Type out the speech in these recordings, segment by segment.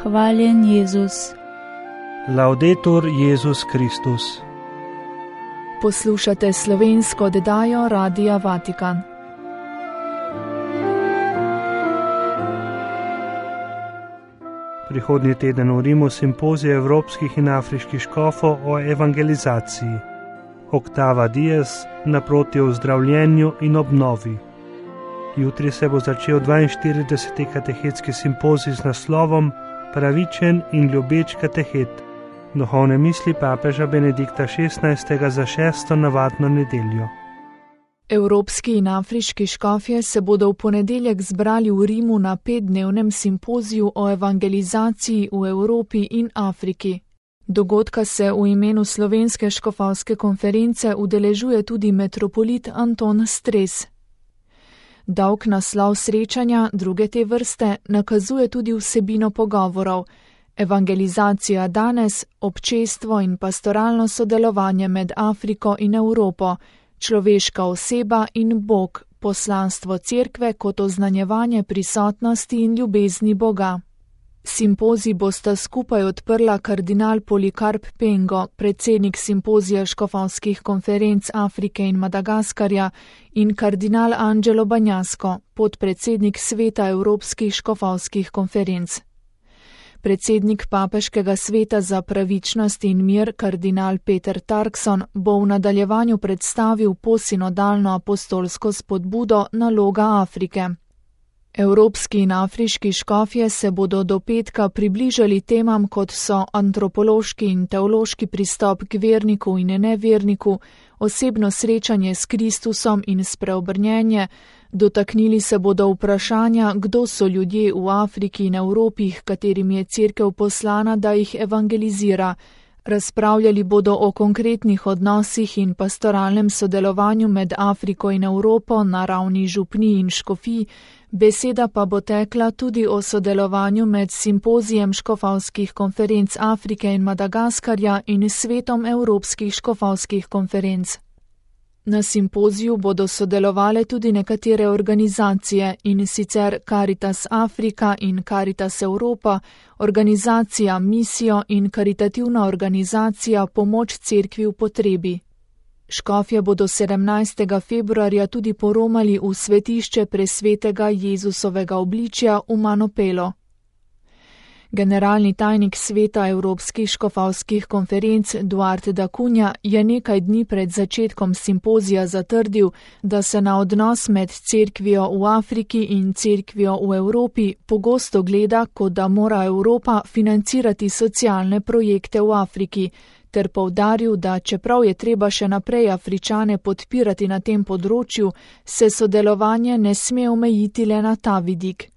Hvaljen Jezus. Laudetur Jezus Kristus. Poslušate slovensko oddajo Radia Vatikan. Prihodnji teden v Rimu simpozij evropskih in afriških škofov o evangelizaciji. Oktava Dies naproti ozdravljenju in obnovi. Jutri se bo začel 42. katehetski simpozij z naslovom Pravičen in ljubeč katehet. Duhovne misli papeža Benedikta XVI. Za 6. navadno nedeljo. Evropski in afriški škofje se bodo v ponedeljek zbrali v Rimu na 5-dnevnem simpoziju o evangelizaciji v Evropi in Afriki. Dogodka se v imenu Slovenske škofovske konference udeležuje tudi metropolit Anton Stres. Dolg naslov srečanja druge te vrste nakazuje tudi vsebino pogovorov: evangelizacija danes, občestvo in pastoralno sodelovanje med Afriko in Evropo, človeška oseba in Bog, poslanstvo cerkve kot oznanjevanje prisotnosti in ljubezni Boga. Simpozij bosta skupaj odprla kardinal Polikarp Pengo, predsednik simpozija škofovskih konferenc Afrike in Madagaskarja, in kardinal Angelo Bagnasco, podpredsednik sveta evropskih škofovskih konferenc. Predsednik papeškega sveta za pravičnost in mir, kardinal Peter Turkson, bo v nadaljevanju predstavil posinodalno apostolsko spodbudo Naloga Afrike. Evropski in afriški škofje se bodo do petka približali temam, kot so antropološki in teološki pristop k verniku in neverniku, osebno srečanje s Kristusom in spreobrnjenje. Dotaknili se bodo vprašanja, kdo so ljudje v Afriki in Evropi, katerim je cerkev poslana, da jih evangelizira. Razpravljali bodo o konkretnih odnosih in pastoralnem sodelovanju med Afriko in Evropo na ravni župnij in škofij, beseda pa bo tekla tudi o sodelovanju med simpozijem škofovskih konferenc Afrike in Madagaskarja in svetom evropskih škofovskih konferenc. Na simpoziju bodo sodelovale tudi nekatere organizacije, in sicer Caritas Afrika in Caritas Europa, organizacija Misijo in karitativna organizacija Pomoč cerkvi v potrebi. Škofje bodo 17. februarja tudi poromali v svetišče presvetega Jezusovega obličja v Manopelo. Generalni tajnik sveta evropskih škofovskih konferenc Duarte da Cunha je nekaj dni pred začetkom simpozija zatrdil, da se na odnos med cerkvijo v Afriki in cerkvijo v Evropi pogosto gleda, kot da mora Evropa financirati socialne projekte v Afriki, ter poudaril, da čeprav je treba še naprej Afričane podpirati na tem področju, se sodelovanje ne sme omejiti le na ta vidik.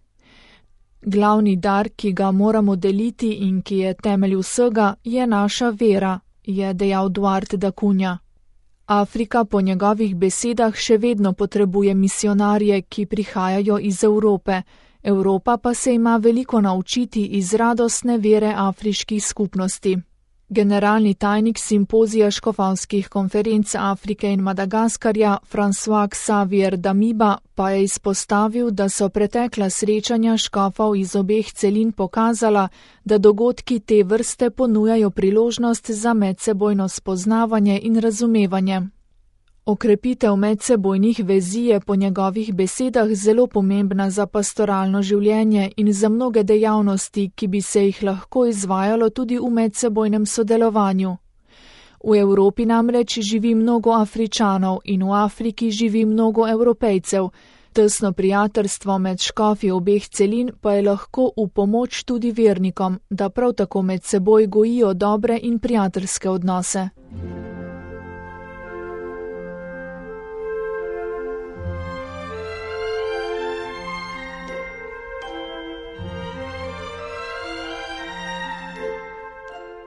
Glavni dar, ki ga moramo deliti in ki je temelj vsega, je naša vera, je dejal Duarte da Cunha. Afrika po njegovih besedah še vedno potrebuje misionarje, ki prihajajo iz Evrope, Evropa pa se ima veliko naučiti iz radostne vere afriških skupnosti. Generalni tajnik simpozija škofovskih konferenc Afrike in Madagaskarja François Xavier Damiba pa je izpostavil, da so pretekla srečanja škofov iz obeh celin pokazala, da dogodki te vrste ponujajo priložnost za medsebojno spoznavanje in razumevanje. Okrepitev medsebojnih vezi je po njegovih besedah zelo pomembna za pastoralno življenje in za mnoge dejavnosti, ki bi se jih lahko izvajalo tudi v medsebojnem sodelovanju. V Evropi namreč živi mnogo Afričanov in v Afriki živi mnogo Evropejcev. Tesno prijateljstvo med škofi obeh celin pa je lahko v pomoč tudi vernikom, da prav tako med seboj gojijo dobre in prijateljske odnose.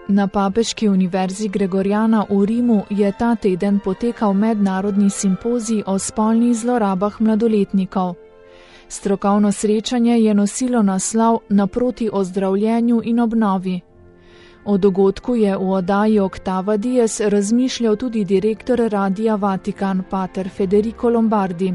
Na Papeški univerzi Gregoriana v Rimu je ta teden potekal mednarodni simpozij o spolnih zlorabah mladoletnikov. Strokovno srečanje je nosilo naslov Naproti ozdravljenju in obnovi. O dogodku je v oddaji Octava Dies razmišljal tudi direktor Radia Vatikan, pater Federico Lombardi.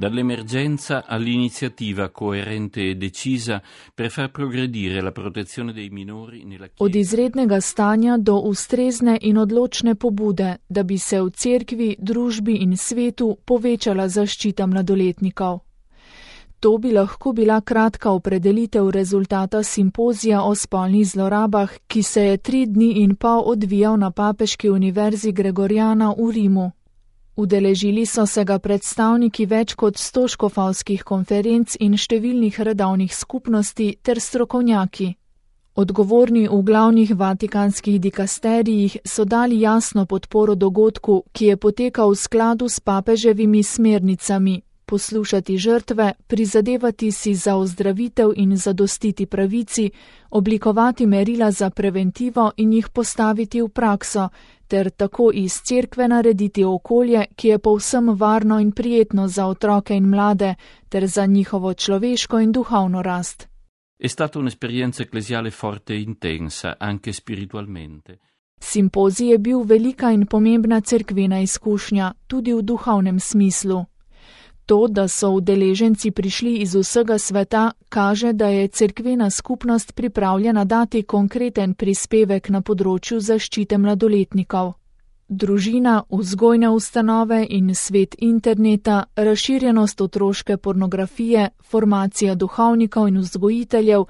Dall'emergenza all'iniziativa coerente e decisa per far progredire la protezione dei minori nella Chiesa. Od izrednega stanja do ustrezne in odločne pobude, da bi se v cerkvi, družbi in svetu povečala zaščita mladoletnikov. To bi lahko bila kratka opredelitev rezultata simpozija o spolnih zlorabah, ki se je 3 dni in pol odvijal na Papeški univerzi Gregoriana v Rimu. Udeležili so se ga predstavniki več kot 100 škofovskih konferenc in številnih redovnih skupnosti ter strokovnjaki. Odgovorni v glavnih vatikanskih dikasterijih so dali jasno podporo dogodku, ki je potekal v skladu s papeževimi smernicami: poslušati žrtve, prizadevati si za ozdravitev in zadostiti pravici, oblikovati merila za preventivo in jih postaviti v prakso, ter tako iz cerkve narediti okolje, ki je povsem varno in prijetno za otroke in mlade, ter za njihovo človeško in duhovno rast. È stata un'esperienza ecclesiale forte e intensa, anche spiritualmente. Simpozij je bil velika in pomembna cerkvena izkušnja, tudi v duhovnem smislu. To, da so udeleženci prišli iz vsega sveta, kaže, da je cerkvena skupnost pripravljena dati konkreten prispevek na področju zaščite mladoletnikov. Družina, vzgojne ustanove in svet interneta, razširjenost otroške pornografije, formacija duhovnikov in vzgojiteljev,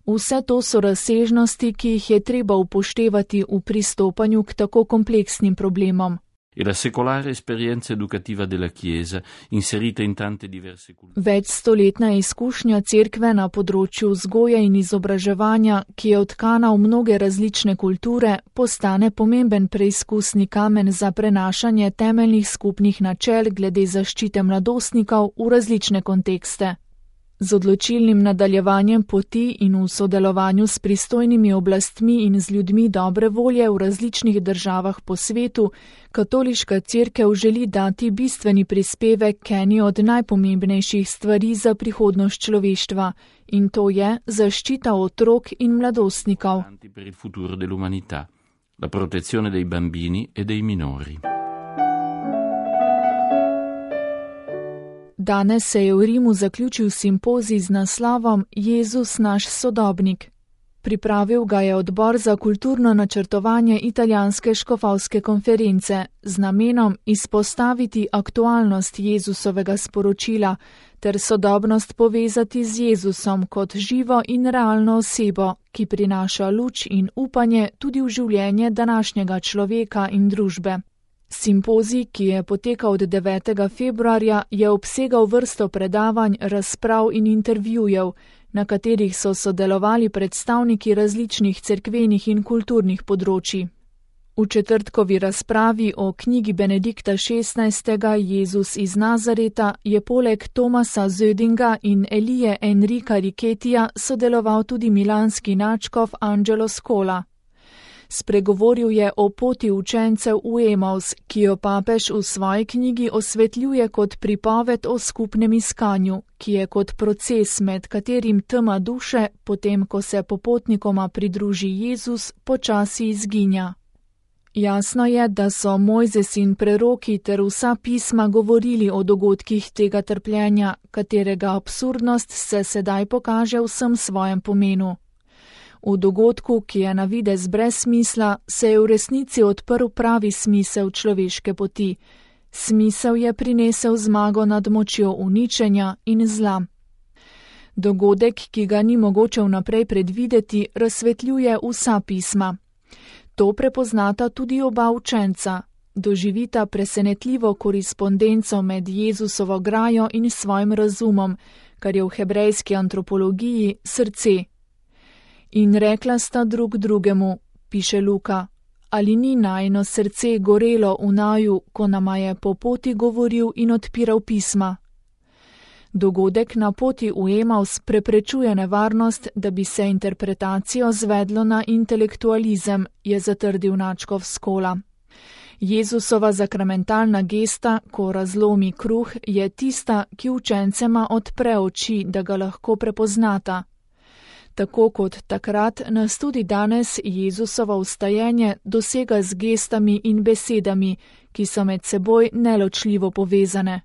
vse to so razsežnosti, ki jih je treba upoštevati v pristopanju k tako kompleksnim problemom. E la secolare esperienza educativa della Chiesa, inserita in tante diverse culture. Večstoletna izkušnja cerkve na področju vzgoje in izobraževanja, ki je vtkana v mnoge različne kulture, postane pomemben preizkusni kamen za prenašanje temeljnih skupnih načel glede zaščite mladostnikov v različne kontekste. Z odločilnim nadaljevanjem poti in v sodelovanju s pristojnimi oblastmi in z ljudmi dobre volje v različnih državah po svetu, katoliška cerkev želi dati bistveni prispevek k eni od najpomembnejših stvari za prihodnost človeštva, in to je zaščita otrok in mladostnikov. Per il futuro dell'umanità, la protezione dei bambini e dei minori. Danes se je v Rimu zaključil simpozij z naslovom Jezus naš sodobnik. Pripravil ga je odbor za kulturno načrtovanje italijanske škofovske konference z namenom izpostaviti aktualnost Jezusovega sporočila ter sodobnost povezati z Jezusom kot živo in realno osebo, ki prinaša luč in upanje tudi v življenje današnjega človeka in družbe. Simpozij, ki je potekal od 9. februarja, je obsegal vrsto predavanj, razprav in intervjujev, na katerih so sodelovali predstavniki različnih cerkvenih in kulturnih področij. V četrtkovi razpravi o knjigi Benedikta XVI. Jezus iz Nazareta je poleg Tomasa Zödinga in Elije Enrika Riketija sodeloval tudi milanski nadškof Angelo Scola. Spregovoril je o poti učencev v Emaus, ki jo papež v svoji knjigi osvetljuje kot pripoved o skupnem iskanju, ki je kot proces, med katerim tema duše, potem ko se popotnikoma pridruži Jezus, počasi izginja. Jasno je, da so Mojzes in preroki ter vsa pisma govorili o dogodkih tega trpljenja, katerega absurdnost se sedaj pokaže v vsem svojem pomenu. V dogodku, ki je na videz brez smisla, se je v resnici odprl pravi smisel človeške poti. Smisel je prinesel zmago nad močjo uničenja in zla. Dogodek, ki ga ni mogoče vnaprej predvideti, razsvetljuje vsa pisma. To prepoznata tudi oba učenca. Doživita presenetljivo korespondenco med Jezusovo grajo in svojim razumom, kar je v hebrejski antropologiji srce. In rekla sta drug drugemu, piše Luka, ali ni najino srce gorelo v naju, ko nama je po poti govoril in odpiral pisma. Dogodek na poti v Emaus preprečuje nevarnost, da bi se interpretacijo zvedlo na intelektualizem, je zatrdil nadškof Skola. Jezusova zakramentalna gesta, ko razlomi kruh, je tista, ki učencema odpre oči, da ga lahko prepoznata. Tako kot takrat, nas tudi danes Jezusovo vstajenje dosega z gestami in besedami, ki so med seboj neločljivo povezane.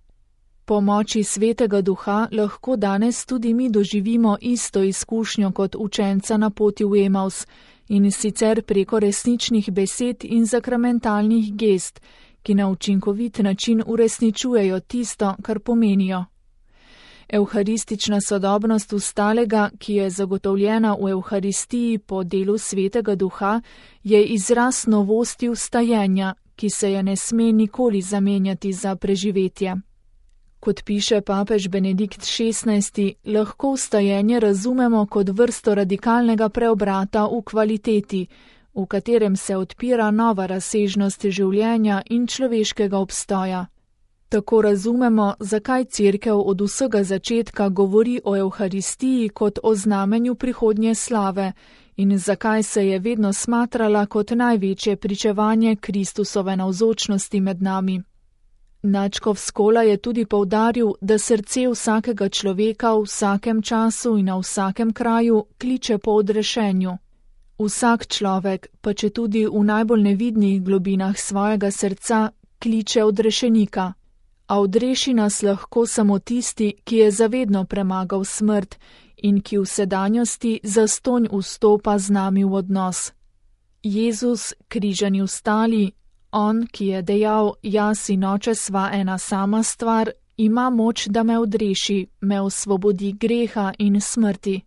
Po moči Svetega Duha lahko danes tudi mi doživimo isto izkušnjo kot učenca na poti v Emaus, in sicer preko resničnih besed in zakramentalnih gest, ki na učinkovit način uresničujejo tisto, kar pomenijo. Evharistična sodobnost vstalega, ki je zagotovljena v Evharistiji po delu Svetega Duha, je izraz novosti vstajenja, ki se je ne sme nikoli zamenjati za preživetje. Kot piše papež Benedikt XVI, lahko vstajenje razumemo kot vrsto radikalnega preobrata v kvaliteti, v katerem se odpira nova razsežnost življenja in človeškega obstoja. Tako razumemo, zakaj Cerkev od vsega začetka govori o Evharistiji kot o znamenju prihodnje slave in zakaj se je vedno smatrala kot največje pričevanje Kristusove navzočnosti med nami. Nadškof Skola je tudi poudaril, da srce vsakega človeka v vsakem času in na vsakem kraju kliče po odrešenju. Vsak človek, pa četudi v najbolj nevidnih globinah svojega srca, kliče odrešenika. A odreši nas lahko samo tisti, ki je zavedno premagal smrt in ki v sedanjosti zastonj vstopa z nami v odnos. Jezus, križani vstali, on, ki je dejal, jaz in oče sva ena sama stvar, ima moč, da me odreši, me osvobodi greha in smrti.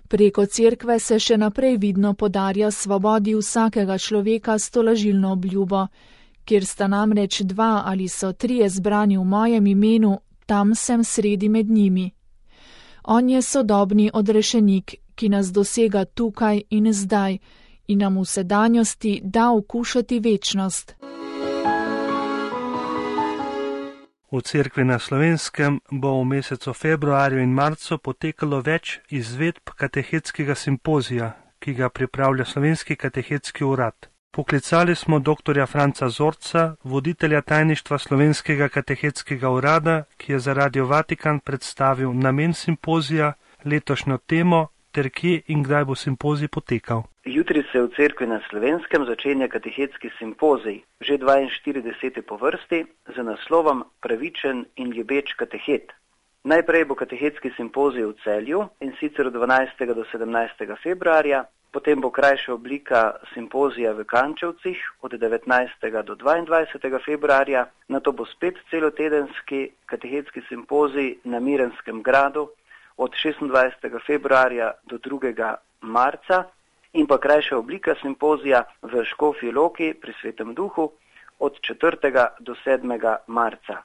Preko Cerkve se še naprej vidno podarja svobodi vsakega človeka s tolažilno obljubo, kjer sta namreč 2 ali so 3 zbrani v mojem imenu, tam sem sredi med njimi. On je sodobni odrešenik, ki nas dosega tukaj in zdaj in nam v sedanjosti da okušati večnost. V Cerkvi na Slovenskem bo v mesecu februarju in marcu potekalo več izvedb katehetskega simpozija, ki ga pripravlja Slovenski katehetski urad. Poklicali smo dr. Franca Zorca, voditelja tajništva Slovenskega katehetskega urada, ki je za Radio Vatikan predstavil namen simpozija, letošnjo temo ter kje in kdaj bo simpozij potekal. Jutri se v Cerkvi na Slovenskem začenja katehetski simpozij, že 42. po vrsti, z naslovom Pravičen in ljubeč katehet. Najprej bo katehetski simpozij v Celju, in sicer od 12. do 17. februarja, potem bo krajša oblika simpozija v Kančevcih od 19. do 22. februarja, nato bo spet celotedenski katehetski simpozij na Mirenskem gradu od 26. februarja do 2. marca in pa krajša oblika simpozija v Škofji Loki pri Svetem Duhu od 4. do 7. marca.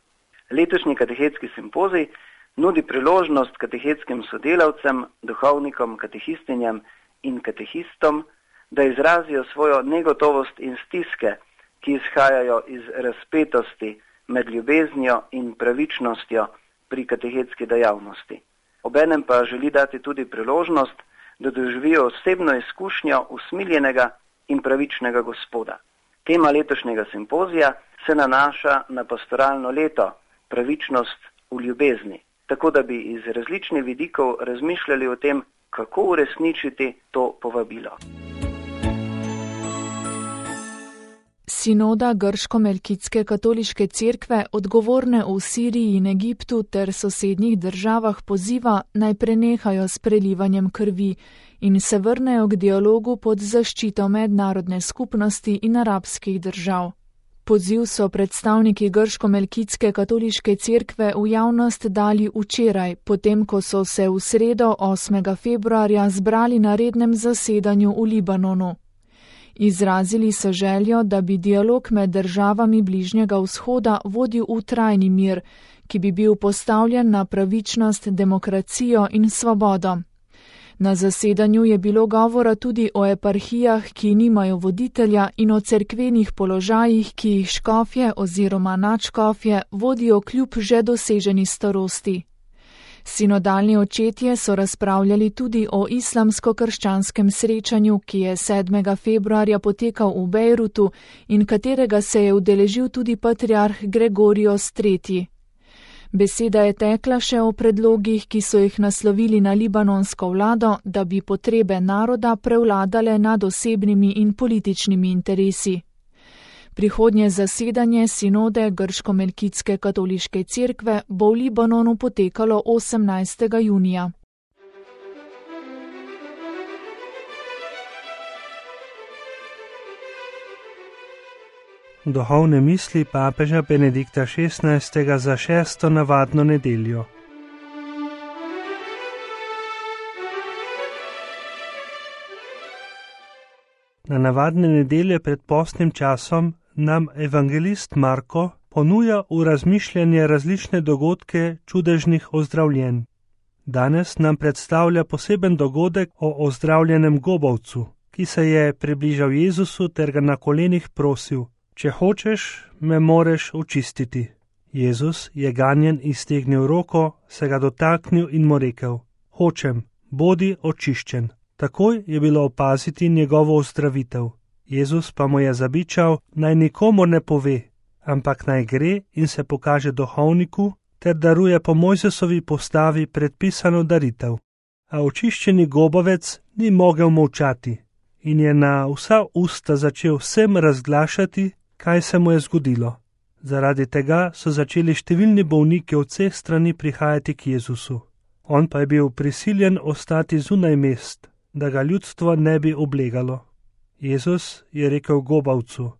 Letošnji katehetski simpozij nudi priložnost katehetskim sodelavcem, duhovnikom, katehistinjam in katehistom, da izrazijo svojo negotovost in stiske, ki izhajajo iz razpetosti med ljubeznijo in pravičnostjo pri katehetski dejavnosti. Obenem pa želi dati tudi priložnost, da doživijo osebno izkušnjo usmiljenega in pravičnega Gospoda. Tema letošnjega simpozija se nanaša na pastoralno leto, pravičnost v ljubezni, tako da bi iz različnih vidikov razmišljali o tem, kako uresničiti to povabilo. Sinoda Grško-Melkitske katoliške cerkve odgovorne v Siriji in Egiptu ter sosednjih državah poziva, naj prenehajo s prelivanjem krvi in se vrnejo k dialogu pod zaščito mednarodne skupnosti in arabskih držav. Poziv so predstavniki Grško-Melkitske katoliške cerkve v javnost dali včeraj, potem ko so se v sredo 8. februarja zbrali na rednem zasedanju v Libanonu. Izrazili so željo, da bi dialog med državami Bližnjega vzhoda vodil v trajni mir, ki bi bil postavljen na pravičnost, demokracijo in svobodo. Na zasedanju je bilo govora tudi o eparhijah, ki nimajo voditelja, in o cerkvenih položajih, ki jih škofje oziroma nadškofje vodijo kljub že doseženi starosti. Sinodalni očetje so razpravljali tudi o islamsko-krščanskem srečanju, ki je 7. februarja potekal v Bejrutu in katerega se je udeležil tudi patriarh Gregorios III. Beseda je tekla še o predlogih, ki so jih naslovili na libanonsko vlado, da bi potrebe naroda prevladale nad osebnimi in političnimi interesi. Prihodnje zasedanje sinode Grško-Melkitske katoliške cerkve bo v Libanonu potekalo 18. junija. Duhovne misli papeža Benedikta XVI. Za 6. navadno nedeljo. Na navadne nedelje pred postnim časom nam evangelist Marko ponuja v razmišljanje različne dogodke čudežnih ozdravljenj. Danes nam predstavlja poseben dogodek o ozdravljenem gobavcu, ki se je približal Jezusu ter ga na kolenih prosil: Če hočeš, me moreš očistiti. Jezus je ganjen iztegnil roko, se ga dotaknil in mu rekel: Hočem, bodi očiščen. Takoj je bilo opaziti njegovo ozdravitev. Jezus pa mu je zabičal, naj nikomur ne pove, ampak naj gre in se pokaže duhovniku ter daruje po Mojzesovi postavi predpisano daritev. A očiščeni gobavec ni mogel molčati in je na vsa usta začel vsem razglašati, kaj se mu je zgodilo. Zaradi tega so začeli številni bolniki od vseh strani prihajati k Jezusu. On pa je bil prisiljen ostati zunaj mest, da ga ljudstvo ne bi oblegalo. Jezus je rekel gobavcu: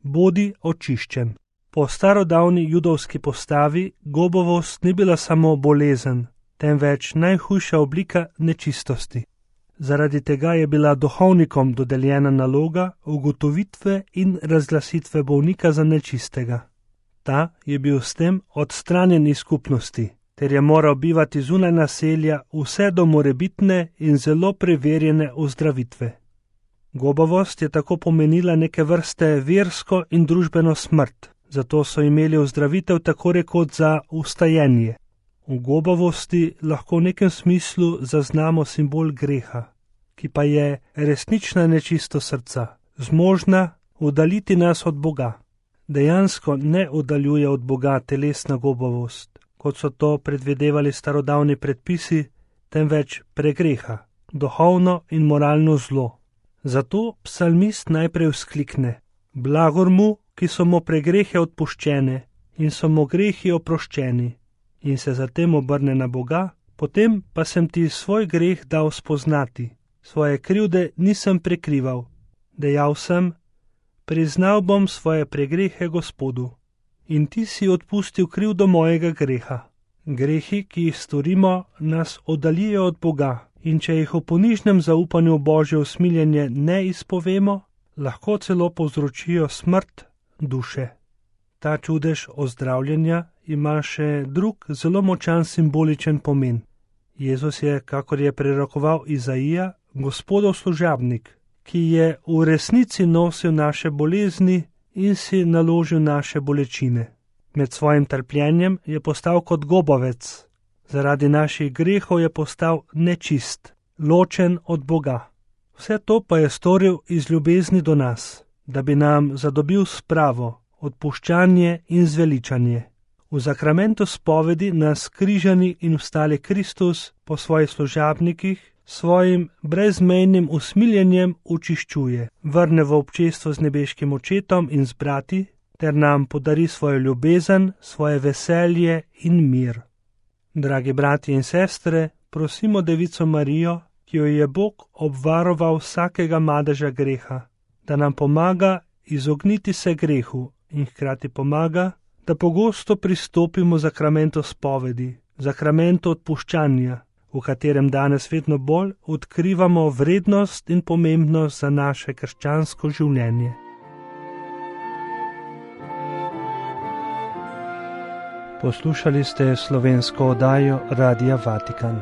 Bodi očiščen. Po starodavni judovski postavi gobavost ni bila samo bolezen, temveč najhujša oblika nečistosti. Zaradi tega je bila duhovnikom dodeljena naloga ugotovitve in razglasitve bolnika za nečistega. Ta je bil s tem odstranjen iz skupnosti, ter je moral bivati zunaj naselja vse do morebitne in zelo preverjene ozdravitve. Gobavost je tako pomenila neke vrste versko in družbeno smrt, zato so imeli ozdravitev tako rekoč za ustajenje. V gobavosti lahko v nekem smislu zaznamo simbol greha, ki pa je resnična nečistost srca, zmožna oddaljiti nas od Boga. Dejansko ne oddaljuje od Boga telesna gobavost, kot so to predvidevali starodavni predpisi, temveč pregreha, duhovno in moralno zlo. Zato psalmist najprej vzklikne: Blagor mu, ki so mu pregrehe odpuščene in so mu grehi oproščeni, in se zatem obrne na Boga: Potem pa sem ti svoj greh dal spoznati, svoje krivde nisem prekrival. Dejal sem: Priznal bom svoje pregrehe Gospodu, in ti si odpustil krivdo mojega greha. Grehi, ki jih storimo, nas oddaljijo od Boga, in če jih v ponižnem zaupanju Božje usmiljenje ne izpovemo, lahko celo povzročijo smrt duše. Ta čudež ozdravljenja ima še drug zelo močan simboličen pomen. Jezus je, kakor je prerokoval Izaija, Gospodov služabnik, ki je v resnici nosil naše bolezni in si naložil naše bolečine. Med svojim trpljenjem je postal kot gobavec. Zaradi naših grehov je postal nečist, ločen od Boga. Vse to pa je storil iz ljubezni do nas, da bi nam zadobil spravo, odpuščanje in zveličanje. V zakramentu spovedi nas križani in vstali Kristus po svojih služabnikih svojim brezmejnim usmiljenjem učiščuje, vrne v občestvo z nebeškim očetom in z brati, ter nam podari svojo ljubezen, svoje veselje in mir. Dragi brati in sestre, prosimo Devico Marijo, ki jo je Bog obvaroval vsakega madeža greha, da nam pomaga izogniti se grehu in hkrati pomaga, da pogosto pristopimo zakramentu spovedi, zakramentu odpuščanja, v katerem danes vedno bolj odkrivamo vrednost in pomembnost za naše krščansko življenje. Poslušali ste slovensko oddajo Radia Vatikan.